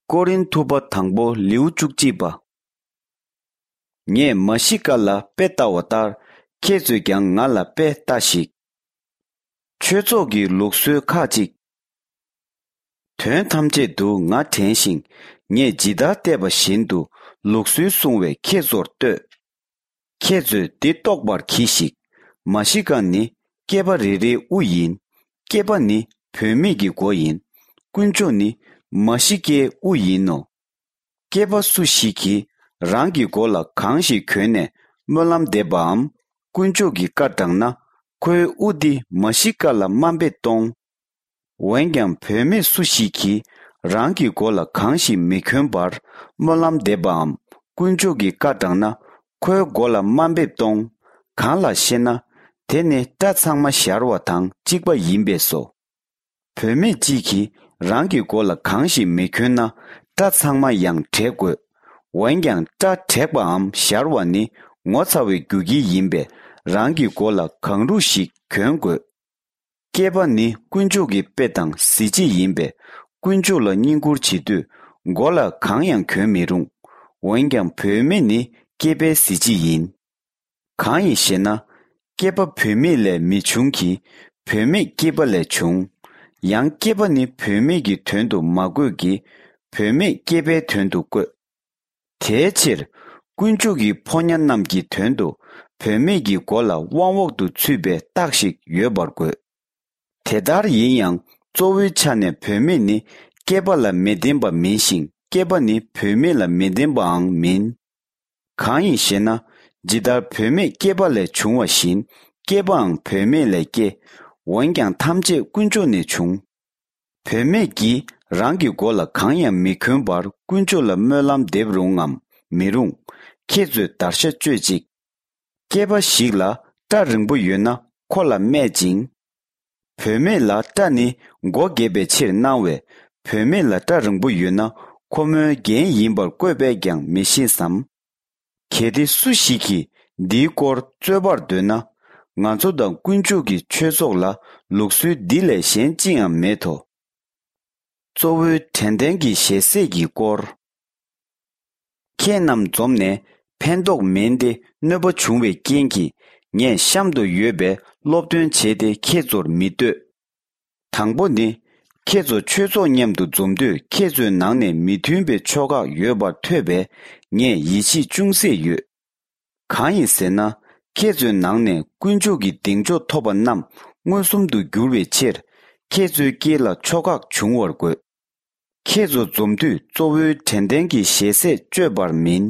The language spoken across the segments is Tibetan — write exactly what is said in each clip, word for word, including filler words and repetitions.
ཀོ་རིན་ཐུ་པ་དང་པོ་ལེའུ་བཅུ་གཅིག་པ། ངས་མ་ཤི་ཀ་ལ་དཔེ་ལྟ་བ་ལྟར་ཁྱེད་ཚོས་ཀྱང་ང་ལ་དཔེ་ལྟ་ཞིག་ཆོས་ཚོགས་ཀྱི་ལུགས་སྲོལ་ཁག་ཅིག་དོན་ཐམས་ཅད་དུ་ང་དྲན་ཞིང་ངས་ཇི་ལྟར་བལྟས་པ་བཞིན་དུ་ལུགས་སྲོལ་སྲུང་བས་ཁྱེད་ཚོར་ལྟོས། ཁྱེད་ཚོས་འདི་རྟོགས་པར་གྱིས་ཤིག་མ་ཤི་ཀ་ནི་སྐྱེས་པ་རེ་རེའི་དབུ་ཡིན། སྐྱེས་པ་ནི་བུད་མེད་ཀྱི་མགོ་ཡིན། དཀོན་མཆོག་ནི་མ་ཤི་ཀའི་དབུ་ཡིན་ནོ། སྐྱེས་པ་སུ་ཞིག་གིས་རང་གི་མགོ་ལ་གང་ཞིག་གྱོན་ནས་སྨོན་ལམ་འདེབས་པའམ་དཀོན་མཆོག་གི་བཀའ་བསྒྲགས་ན། ཁོའི་དབུ་འདི་མ་ཤི་ཀ་ལ་དམའ་འབེབས་གཏོང་། འོན་ཀྱང་བུད་མེད་སུ་ཞིག་གིས་རང་གི་མགོ་ལ་གང་ཞིག་མི་གྱོན་པར་སྨོན་ལམ་འདེབས་པའམ་དཀོན་མཆོག་གི་བཀའ་བསྒྲགས་ན། ཁོའི་མགོ་ལ་དམའ་འབེབས་གཏོང་། གང་ལགས་ཤེ་ན། དེ་ནི་སྐྲ་ཚང་མ་ཞར་བ་དང་གཅིག་པ་ཡིན་པས་སོ། བུད་མེད་ཅིག་གིས་རང་གི་མགོ་ལ་གང་ཞིག་མི་གྱོན་ན་སྐྲ་ཚང་མ་ཡང་བྲེག་དགོས། འོན་ཀྱང་སྐྲ་བྲེག་པའམ་ཞར་བ་ནི་ངོ་ཚ་བའི་རྒྱུ་རྐྱེན་ཡིན་པས་རང་གི་མགོ་ལ་གང་རུང་ཞིག་གྱོན་དགོས། སྐྱེས་པ་ནི་དཀོན་མཆོག་གི་དཔེ་དང་གཟི་བརྗིད་ཡིན་པས་དཀོན་མཆོག་ལ་བསྙེན་བཀུར་བྱེད་དུས་མགོ་ལ་གང་ཡང་གྱོན་མི་རུང་། འོན་ཀྱང་བུད་མེད་ནི་སྐྱེས་པའི་གཟི་བརྗིད་ཡིན། གང་ཡིན་ཞེ་ན། སྐྱེས་པ་བུད་མེད་ལས་མི་འབྱུང་གི། བུད་མེད་སྐྱེས་པ་ལས་བྱུང་། ཡང་སྐྱེས་པ་ནི་བུད་མེད་ཀྱི་དོན་དུ་མ་བཀོད་ཀྱི། བུད་མེད་སྐྱེས་པའི་དོན་དུ་བཀོད། དེའི་ཕྱིར་དཀོན་མཆོག་གི་ཕོ་ཉ་རྣམས་ཀྱི་དོན་དུ་བུད་མེད་ཀྱི་མགོ་ལ་དབང་འོག་ཏུ་ཚུད་པའི་རྟགས་ཤིག་ཡོད་པར་དགོས། དེ་ལྟར་ཡིན་ཡང་གཙོ་བོའི་ཆ་ནས་བུད་མེད་ནི་སྐྱེས་པ་ལ་མི་ལྡན་པ་མིན་ཞིང་སྐྱེས་པ་ནི་བུད་མེད་ལ་མི་ལྡན་པའང་མིན། གང་ཡིན་ཞེ་ན། ཇི་ལྟར་བུད་མེད་སྐྱེས་པ་ལས་བྱུང་བ་བཞིན་སྐྱེས་པའང་བུད་མེད་ལས་སྐྱེ། འོན་ཀྱང་ཐམས་ཅད་དཀོན་མཆོག་ནས་བྱུང་། བུད་མེད་ཀྱིས་རང་གི་མགོ་ལ་གང་ཡང་མི་གྱོན་པར་དཀོན་མཆོག་ལ་སྨོན་ལམ་འདེབས་རུང་ངམ་མི་རུང་། ཁྱེད་ཚོས་བརྡར་ཤ་གཅོད་ཅིག་སྐྱེས་པ་ཞིག་ལ་སྐྲ་རིང་པོ་ཡོད་ན་ཁོ་ལ་སྨད་ཅིང་། བུད་མེད་ལ་སྐྲ་ནི་མགོ་འགེབས་པའི་ཕྱིར་གནང་བས་བུད་མེད་ལ་སྐྲ་རིང་པོ་ཡོད་ན་ཁོ་མོའི་རྒྱན་ཡིན་པར་བཀོད་པས་ཀྱང་མི་ཤེས་སམ། གལ་ཏེ་སུ་ཞིག་གིས་འདིའི་སྐོར་རྩོད་པར་འདོད་ན། ང་ཚོ་དང་དཀོན་མཆོག་གི་ཆོས་ཚོགས་ལ་ལུགས་སྲོལ་འདི་ལས་གཞན་ཅི་ཡང་མེད་དོ། གཙོ་བོའི་དྲན་རྟེན་གྱི་ཞལ་ཟས་ཀྱི་སྐོར། ཁྱེད་རྣམས་འཛོམས་ནས་ཕན་ཐོགས་མིན་ཏེ་གནོད་པ་བྱུང་བའི་རྐྱེན་གྱིས་ངས་གཤམ་དུ་ཡོད་པའི་སློབ་སྟོན་བྱས་ཏེ་ཁྱེད་ཚོར་མི་བསྟོད། དང་པོ་ནི། ཁྱེད་ཚོ་ཆོས་ཚོགས་མཉམ་དུ་འཛོམས་དུས་ཁྱེད་ཚོའི་ནང་ནས་མི་མཐུན་པའི་ཕྱོགས་ཁག་ཡོད་པར་ཐོས་པས་ངས་ཡིད་ཆེས་ཅུང་ཟད་ཡོད། གང་ཡིན་ཟེར་ན། ཁྱེད་ཚོའི་ནང་ནས་དཀོན་མཆོག་གི་གདེང་འཇོག་ཐོབ་པ་རྣམས་མངོན་སུམ་དུ་འགྱུར་བའི་ཕྱིར། ཁྱེད་ཚོའི་དཀྱིལ་ལ་ཕྱོགས་ཁག་འབྱུང་བར་དགོས། ཁྱེད་ཚོ་འཛོམས་དུས་གཙོ་བོའི་དྲན་རྟེན་གྱི་ཞལ་ཟས་སྤྱོད་པར་མིན།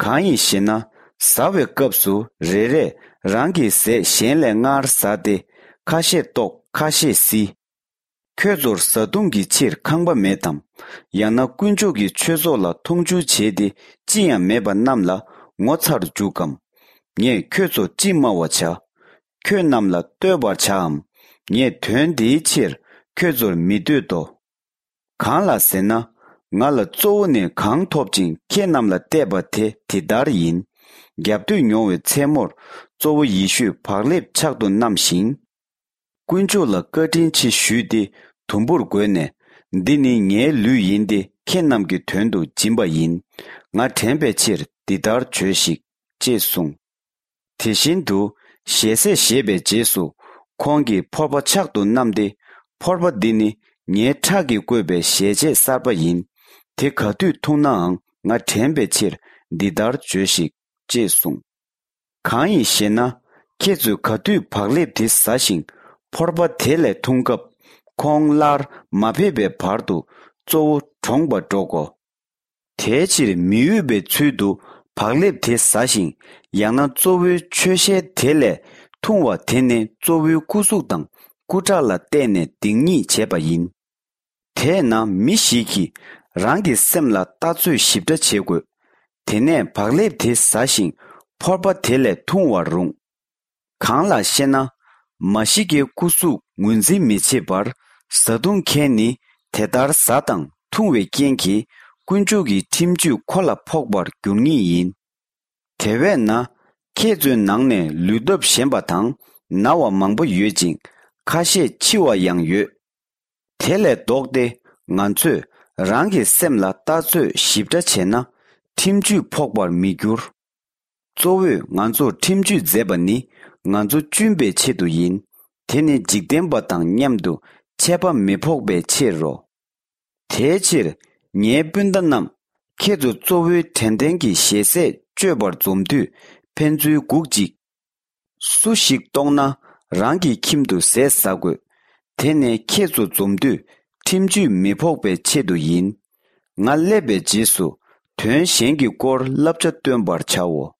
གང་ཡིན་ཞེ་ན། ཟ་བའི་སྐབས་སུ་རེ་རེས་རང་གི་ཟས་གཞན་ལས་སྔར་ཟ་སྟེ། ཁ་ཤས་ལྟོགས་ཁ་ཤས་བསིལ། ཁྱོད་ཚོར་བཟའ་བཏུང་གི་ཕྱིར་ཁང་པ་མེད་དམ། ཡང་ན་དཀོན་མཆོག་གི་ཆོས་ཚོགས་ལ་མཐོང་ཆུང་བྱས་ཏེ་ཅི་ཡང་མེད་པ་རྣམས་ལ་ངོ་ཚར་འཇུག་གམ། ངས་ཁྱོད་ཚོ་ཅི་སྨྲ་བར་བྱ། ཁྱོད་རྣམས་ལ་བསྟོད་པར་བྱའམ། ངས་དོན་འདིའི་ཕྱིར་ཁྱོད་ཚོར་མི་བསྟོད་དོ། གང་ལགས་ཟེར་ན། ང་ལ་གཙོ་བོ་ནས་གང་ཐོབ་ཅིང་ཁྱེད་རྣམས་ལ་གཏད་པ་དེ་དེ་ལྟར་ཡིན། རྒྱབ་གཏོད་མྱོང་བའི་མཚན་མོར་གཙོ་བོ་ཡེ་ཤུས་བག་ལེབ་ཕྱག་ཏུ་བསྣམས་ཤིང་། དཀོན་མཆོག་ལ་བཀའ་དྲིན་ཆེ་ཞུས་ཏེ་དུམ་བུར་བགོས་ནས། འདི་ནི་ངའི་ལུས་ཡིན་ཏེ་ཁྱེད་རྣམས་ཀྱི་དོན་དུ་སྦྱིན་པ་ཡིན། ང་དྲན་པའི་ཕྱིར་འདི་ལྟར་བྱོས་ཤིག་ཅེས་གསུངས། དེ་བཞིན་དུ་ཞལ་ཟས་བཞེས་པའི་རྗེས་སུ་ཁོང་གིས་ཕོར་པ་ཕྱག་ཏུ་བསྣམས་ཏེ། ཕོར་པ་འདི་ནི་ངའི་ཁྲག་གིས་བསྐོས་པའི་ཞལ་ཆད་གསར་པ་ཡིན། དེ་ག་དུས་འཐུང་ནའང་ང་དྲན་པའི་ཕྱིར་འདི་ལྟར་བྱོས་ཤིག་ཅེས་གསུངས། གང་ཡིན་ཞེ་ན། ཁྱེད་ཚོས་ག་དུས་བག་ལེབ་དེ་ཟ་ཞིང་ཕོར་པ་དེ་ལས་འཐུང་སྐབས་ཁོང་སླར་མ་ཕེབས་པའི་བར་དུ་གཙོ་བོ་གྲོངས་པར་འགྲོ་གོ། དེའི་ཕྱིར་མི་འོས་པའི་ཚུལ་དུ་བག་ལེབ་དེ་ཟ་ཞིང་ཡང་ན་གཙོ་བོའི་མཆོད་ཞལ་དེ་ལས་འཐུང་བ་དེ་ནི་གཙོ་བོའི་སྐུ་གཟུགས་དང་སྐུ་ཁྲག་ལ་བརྟེན་ནས་སྡིག་ཉེས་བྱས་པ་ཡིན། དེས་ན་མི་ཞིག་གིས་རང་གི་སེམས་ལ་ལྟ་ཚོད་ཞིབ་ཕྲ་བྱེད་དགོས། དེ་ནས་བག་ལེབ་དེ་ཟ་ཞིང་ཕོར་པ་དེ་ལས་འཐུང་བར་རུང་། གང་ལགས་ཤེ་ན། མ་ཤི་ཀའི་སྐུ་གཟུགས་ངོས་འཛིན་མི་བྱེད་པར་བཟའ་བཏུང་མཁན་ནི་དེ་ལྟར་ཟ་དང་འཐུང་བའི་རྐྱེན་གྱིས་དཀོན་མཆོག་གི་ཁྲིམས་གཅོད་ཁོ་ལ་ཕོག་པར་འགྱུར་ངེས་ཡིན། དེ་བས་ན་ཁྱེད་ཚོའི་ནང་ནས་ལུས་སྟོབས་ཞན་པ་དང་ན་བ་མང་པོ་ཡོད་ཅིང་ཁ་ཤས་འཆི་བ་ཡང་ཡོད། དེ་ལས་ལྡོག་སྟེ་ང་ཚོས་ རང་གི་སེམས་ལ་ལྟ་ཚོད་ཞིབ་ཕྲ་བྱས་ན། ཁྲིམས་གཅོད་ཕོག་པར་མི་འགྱུར། གཙོ་བོས་ང་ཚོར་ཁྲིམས་གཅོད་མཛད་པ་ནི་ང་ཚོ་གཅུན་པའི་ཆེད་དུ་ཡིན། དེ་ནི་འཇིག་རྟེན་པ་དང་མཉམ་དུ་ཆད་པ་མི་ཕོག་པའི་ཕྱིར་རོ། དེའི་ཕྱིར། ངའི་སྤུན་ཟླ་རྣམས། ཁྱེད་ཚོ་གཙོ་བོའི་དྲན་རྟེན་གྱི་ཞལ་ཟས་སྤྱོད་པར་འཛོམས་དུས་ཕན་ཚུན་སྒུག་ཅིག། སུ་ཞིག་ལྟོགས་ན་རང་གི་ཁྱིམ་དུ་ཟས་ཟ་དགོས། དེ་ནས་ཁྱེད་ཚོ་འཛོམས་དུས་ཁྲིམས་གཅོད་མི་ཕོག་པའི་ཆེད་དུ་ཡིན། ང་སླེབས་པའི་རྗེས་སུ་དོན་གཞན་གྱི་སྐོར་བསླབ་བྱ་སྟོན་པར་བྱའོ།